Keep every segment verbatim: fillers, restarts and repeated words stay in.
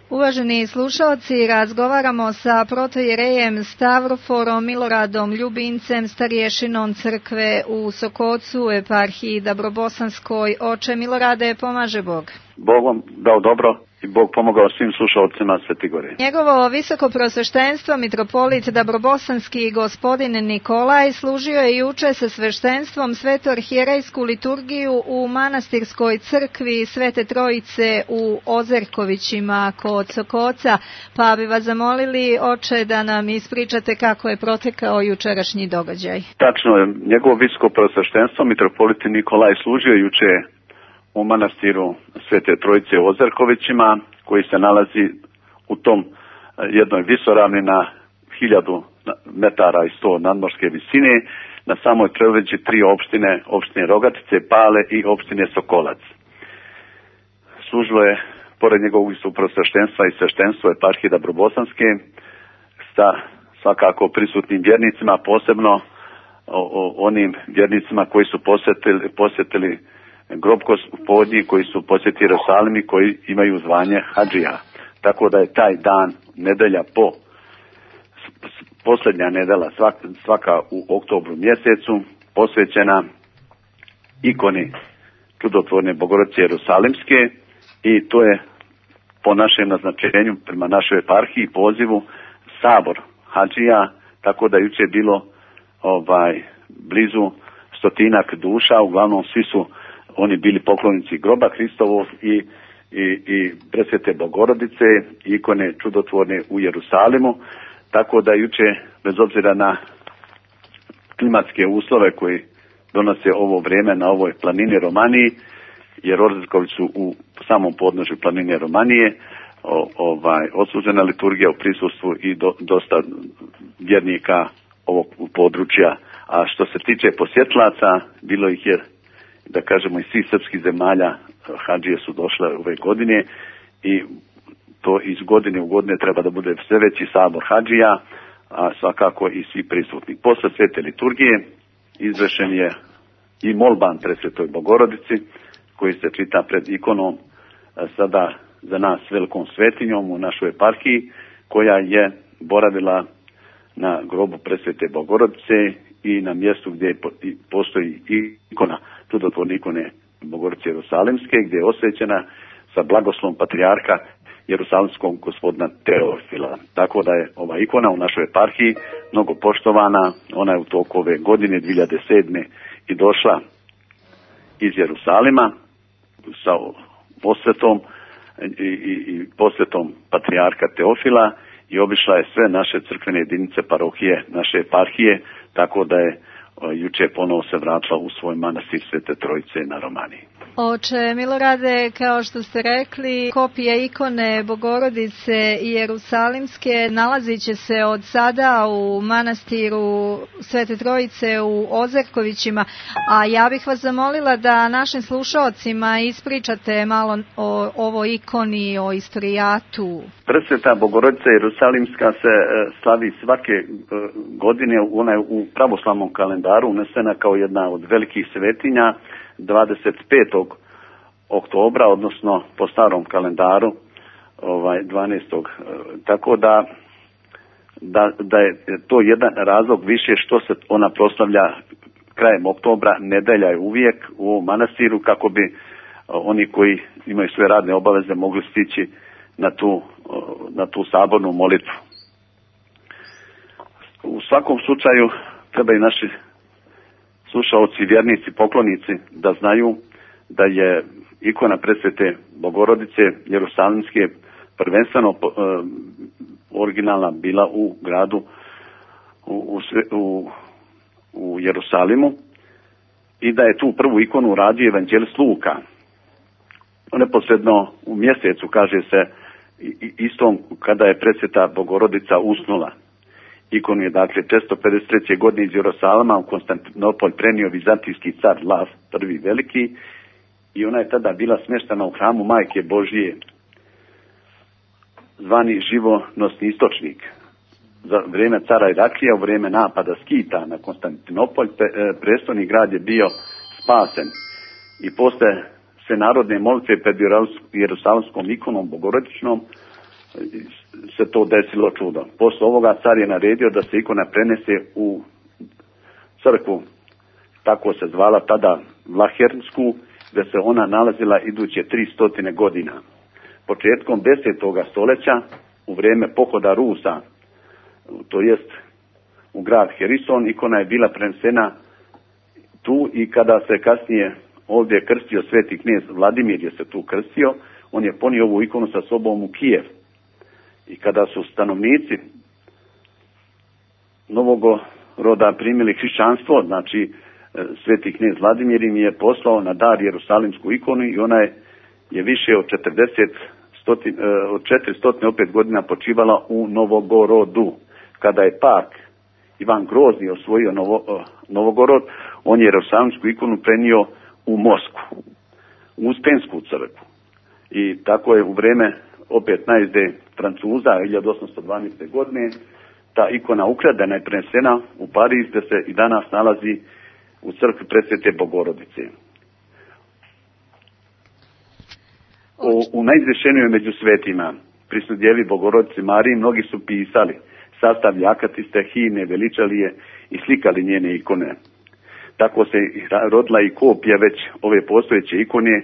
Uvaženi slušalci, razgovaramo sa protojerejem Stavroforom Miloradom Ljubincem, starješinom crkve u Sokocu, eparhiji Dabrobosanskoj. Oče Milorade, pomaže Bog. Bog vam dao dobro i Bog pomogao svim slušalcima Svetigore. Njegovo visoko prosveštenstvo, mitropolit Dabrobosanski gospodin Nikolaj, služio je juče sa sveštenstvom sveto-arhijerejsku liturgiju u manastirskoj crkvi Svete Trojice u Ozerkovićima kod Sokoca, pa bi vas zamolili, oče, da nam ispričate kako je protekao jučerašnji događaj. Tačno je, njegovo visoko prosveštenstvo, mitropolit Nikolaj, služio juče u manastiru Svete Trojice u Ozerkovićima, koji se nalazi u tom jednoj visoravni na hiljadu metara i sto nadmorske visine, na samoj predvođi tri opštine, opštine Rogatice, Pale i opštine Sokolac. Služilo je, pored njegovog visokog prosveštenstva i sveštenstva eparhije Dabrobosanske, sa svakako prisutnim vjernicima, posebno o, o, onim vjernicima koji su posjetili, posjetili grob Gospodnji, koji su posjetili Jerusalim i koji imaju zvanje hadžija. Tako da je taj dan, nedelja po, posljednja nedelja svaka, svaka u oktobru mjesecu, posvećena ikoni čudotvorne Bogorodice Jerusalimske, i to je po našem naznačenju prema našoj eparhiji pozivu sabor hadžija, tako da juče je bilo ovaj blizu stotinak duša, uglavnom svi su oni bili poklonici groba Hristovog i, i, i presvete Bogorodice, ikone čudotvorne u Jerusalimu, tako da juče, bez obzira na klimatske uslove koji donose ovo vrijeme na ovoj planini Romaniji, jer Ozerković su u samom podnožju planine Romanije, o, ovaj, odslužena liturgija u prisustvu i do, dosta vjernika ovog područja. A što se tiče posjetlaca, bilo ih je, da kažemo, iz svih srpskih zemalja, hadžije su došle ove godine i to iz godine u godine treba da bude sve veći sabor hadžija, a svakako i svi prisutni. Posle svete liturgije izvršen je i molban presvetoj Bogorodici, koji se čita pred ikonom, sada za nas velikom svetinjom u našoj eparhiji, koja je boravila na grobu presvete Bogorodice i na mjestu gdje postoji ikona, čudotvorne ikone Bogorodice Jerusalimske, gdje je osvećena sa blagoslovom patrijarha Jerusalimskog gospodina Teofila. Tako da je ova ikona u našoj eparhiji mnogo poštovana. Ona je u toku ove godine dvije hiljade sedme i došla iz Jerusalima sa posvetom i, i, i posvetom patrijarha Teofila i obišla je sve naše crkvene jedinice, parohije, naše eparhije, tako da je juče ponovo se vratila u svoj manastir Svete Trojice na Romaniji. Oče Milorade, kao što ste rekli, kopija ikone Bogorodice i Jerusalimske nalazit će se od sada u manastiru Svete Trojice u Ozerkovićima, a ja bih vas zamolila da našim slušalcima ispričate malo o ovoj ikoni, o istorijatu. Presveta Bogorodica Jerusalimska se slavi svake godine, ona je u pravoslavnom kalendaru unesena kao jedna od velikih svetinja dvadeset petog oktobra, odnosno po starom kalendaru ovaj dvanaestog Tako da, da da je to jedan razlog više što se ona proslavlja krajem oktobra, nedelja je uvijek u ovom manastiru, kako bi oni koji imaju sve radne obaveze mogli stići na tu, na tu sabornu molitvu. U svakom slučaju treba i naši slušaoci, vjernici, poklonici da znaju da je ikona presvete Bogorodice Jerusalimske prvenstveno uh, originalna bila u gradu u, u, u Jerusalimu i da je tu prvu ikonu radio evanđelist Luka. Neposredno u mjesecu, kaže se, istom kada je presveta Bogorodica usnula. Ikonu je dakle četiristo pedeset treće godine iz Jerusalima u Konstantinopolj prenio vizantijski car Lav prvi veliki i ona je tada bila smještena u hramu Majke Božije, zvani živonosni istočnik. Za vrijeme cara Iraklija, u vrijeme napada Skita na Konstantinopolj, prestolni grad je bio spasen i posle sve narodne molitve pred Jerusalimskom ikonom Bogorodičnom se to desilo čudo. Posle ovoga car je naredio da se ikona prenese u crkvu, tako se zvala tada Vlahernsku, gde se ona nalazila iduće tri stotine godina. Početkom desetoga stoljeća, u vrijeme pohoda Rusa, to jest u grad Herison, ikona je bila prenesena tu i kada se kasnije ovdje krstio sveti knez Vladimir je se tu krstio, on je ponio ovu ikonu sa sobom u Kijev. I kada su stanovnici Novogoroda primili hrišćanstvo, znači sveti knez Vladimir im je poslao na dar jerusalimsku ikonu i ona je, je više od četrdeset, stotin, od četiristo opet godina počivala u Novogorodu. Kada je pak Ivan Grozni osvojio Novo, Novogorod, on je jerusalimsku ikonu prenio u Moskvu, u Uspensku crkvu. I tako je u vrijeme opet najezde Francuza hiljadu osamsto dvanaeste. godine ta ikona ukradena i prenesena u Pariz, gdje se i danas nalazi u crkvi Presvete Bogorodice. O, u najizvješenijoj među svetima, prisudjevi Bogorodici Mariji, mnogi su pisali, sastavlja akatiste, himne, veličali je i slikali njene ikone. Tako se rodila i kopija već ove postojeće ikone,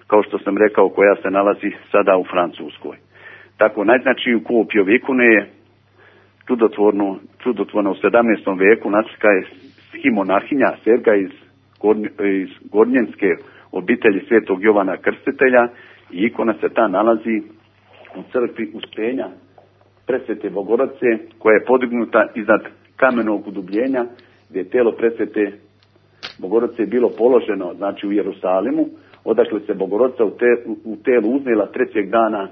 kao što sam rekao, koja se nalazi sada u Francuskoj. Tako najznačiju kopiju ove ikone je čudotvornu, čudotvorna u sedamnaestom veku naslika je schimonarhinja Serga iz, Gornj, iz Gornjenske obitelji svetog Jovana Krstitelja i ikona se ta nalazi u crkvi Uspenja Presvete Bogorodice, koja je podignuta iznad kamenog udubljenja gdje je telo Presvete Bogorodice bilo položeno, znači u Jerusalimu, odakle se Bogorodica u, te, u telu uznela trećeg dana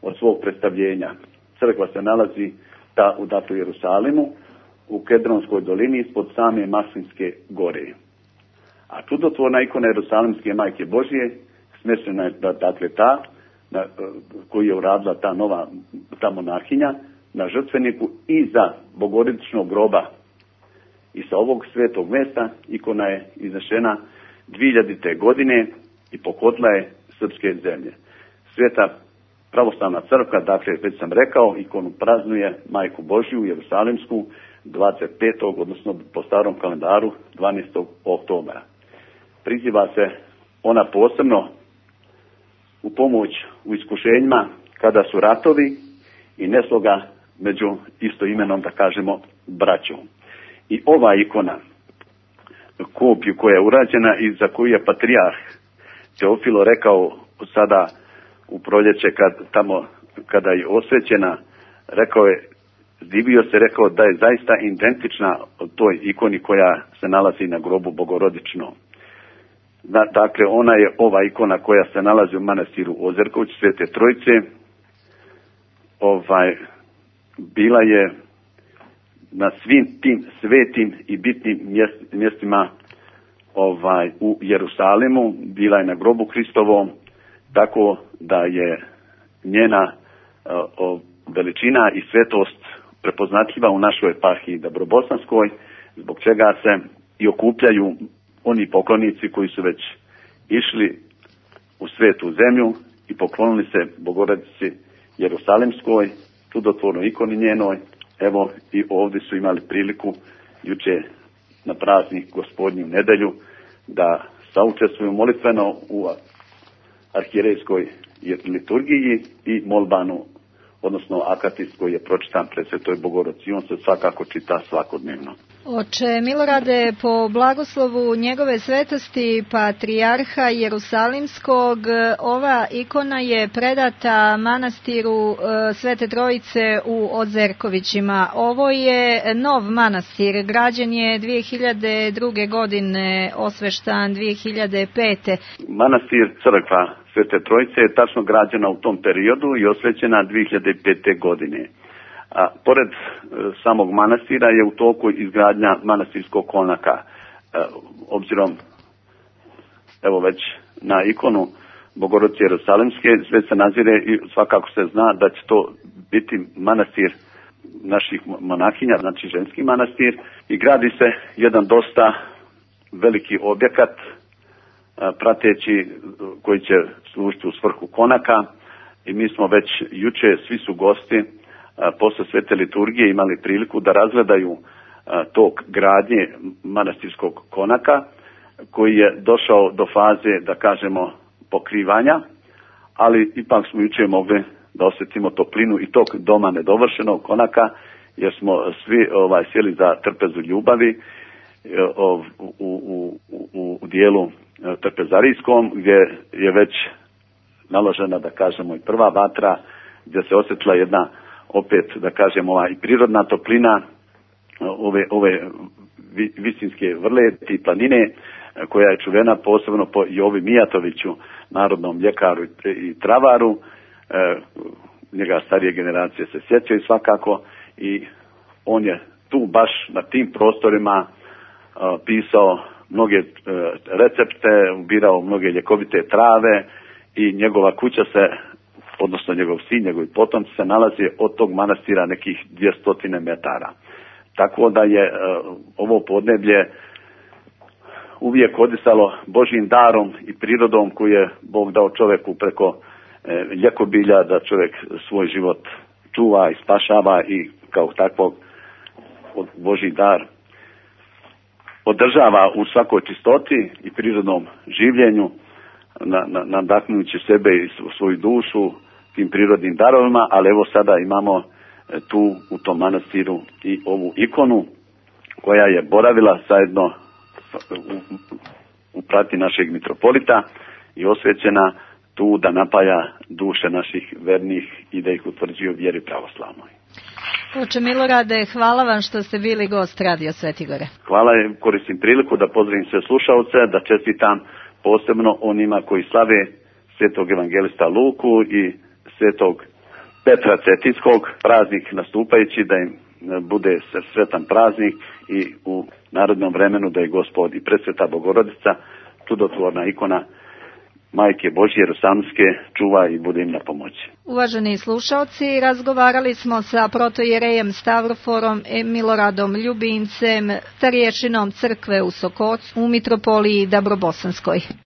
od svog predstavljenja. Crkva se nalazi ta u datu Jerusalimu, u Kedronskoj dolini ispod same Maslinske gore. A čudotvorna ikona Jerusalimske Majke Božije smještena je dakle ta na, koju je uradila ta nova ta monarhinja na žrtveniku iza Bogorodičnog groba. I sa ovog svetog mjesta ikona je iznešena dvihiljadite. godine i pohodila je srpske zemlje. Sveta pravoslavna crkva, dakle već sam rekao, ikonu praznuje Majku Božju Jerusalimsku dvadeset petog odnosno po starom kalendaru dvanaestog oktobra. Priziva se ona posebno u pomoć u iskušenjima kada su ratovi i nesloga među istoimenom, da kažemo, braćom. I ova ikona, kopiju koja je urađena i za koju je patrijarh Teofilo rekao sada u proljeće kad, tamo, kada je osvećena, rekao je, divio se, rekao da je zaista identična toj ikoni koja se nalazi na grobu Bogorodično. Dakle, ona je ova ikona koja se nalazi u manastiru Ozerković Svete Trojice. Ovaj, bila je na svim tim svetim i bitnim mjest, mjestima ovaj, u Jerusalimu, bila je na grobu Hristovom, tako da je njena o, veličina i svetost prepoznatljiva u našoj eparhiji Dabrobosanskoj, zbog čega se i okupljaju oni poklonici koji su već išli u svetu zemlju i poklonili se Bogorodici Jerusalimskoj, čudotvornoj ikoni njenoj. Evo i ovdje su imali priliku juče na praznik Gospodnju nedelju da saučestvuju molitveno u arhijerejskoj liturgiji i molbanu, odnosno akatis koji je pročitan pred Svetoj Bogorodici. On se svakako čita svakodnevno. Oče Milorade, po blagoslovu njegove svetosti patrijarha Jerusalimskog, ova ikona je predata manastiru Svete Trojice u Ozerkovićima. Ovo je nov manastir, građen je dvije hiljade druge. godine, osveštan dvije hiljade pete. Manastir crkva Svete Trojice je tačno građena u tom periodu i osvećena dvije hiljade pete. godine. A pored e, samog manastira je u toku izgradnja manastirskog konaka. E, obzirom, evo već na ikonu Bogorodice Jerusalimske, sve se nazire i svakako se zna da će to biti manastir naših monahinja, znači ženski manastir, i gradi se jedan dosta veliki objekat, a, prateći koji će služiti u svrhu konaka. i mi smo već juče, svi su gosti, posle svete liturgije imali priliku da razgledaju tok gradnje manastirskog konaka, koji je došao do faze, da kažemo, pokrivanja, ali ipak smo juče mogli da osjetimo toplinu i tog doma nedovršenog konaka, jer smo svi ovaj, sjeli za trpezu ljubavi u, u, u, u dijelu trpezarijskom, gdje je već naložena, da kažemo, i prva vatra, gdje se osjetila jedna, opet, da kažemo, ova i prirodna toplina ove, ove visinske vrleti i planine, koja je čuvena posebno po Jovi Mijatoviću, narodnom ljekaru i travaru. E, njega starije generacije se sjećaju svakako, i on je tu baš na tim prostorima a, pisao mnoge e, recepte, ubirao mnoge ljekovite trave, i njegova kuća se, odnosno njegov sin, njegovi potomci se nalazi od tog manastira nekih dvjesto metara. Tako da je e, ovo podneblje uvijek odisalo Božjim darom i prirodom koju je Bog dao čovjeku preko e, ljekobilja, da čovjek svoj život čuva i spašava i kao takvog Božji dar održava u svakoj čistoti i prirodnom življenju, na, na, nadahnujući sebe i svoju dušu tim prirodnim darovima. Ali evo sada imamo tu u tom manastiru i ovu ikonu koja je boravila zajedno u, u prati našeg mitropolita i osvećena tu da napaja duše naših vernih i da ih utvrđuju vjeri pravoslavnoj. Oče Milorade, hvala vam što ste bili gost Radio Svetigore. Hvala, koristim priliku da pozdravim sve slušalce, da čestitam posebno onima koji slave svetog evangelista Luku i svetog Petra Cetinskog, praznik nastupajući, da im bude sretan praznik i u narodnom vremenu da je Gospod i Presveta Bogorodica, čudotvorna ikona Majke Božje Jerusalimske, čuva i bude im na pomoći. Uvaženi slušalci, razgovarali smo sa protojerejem Stavroforom Miloradom Ljubincem, starješinom crkve u Sokocu u mitropoliji Dabrobosanskoj.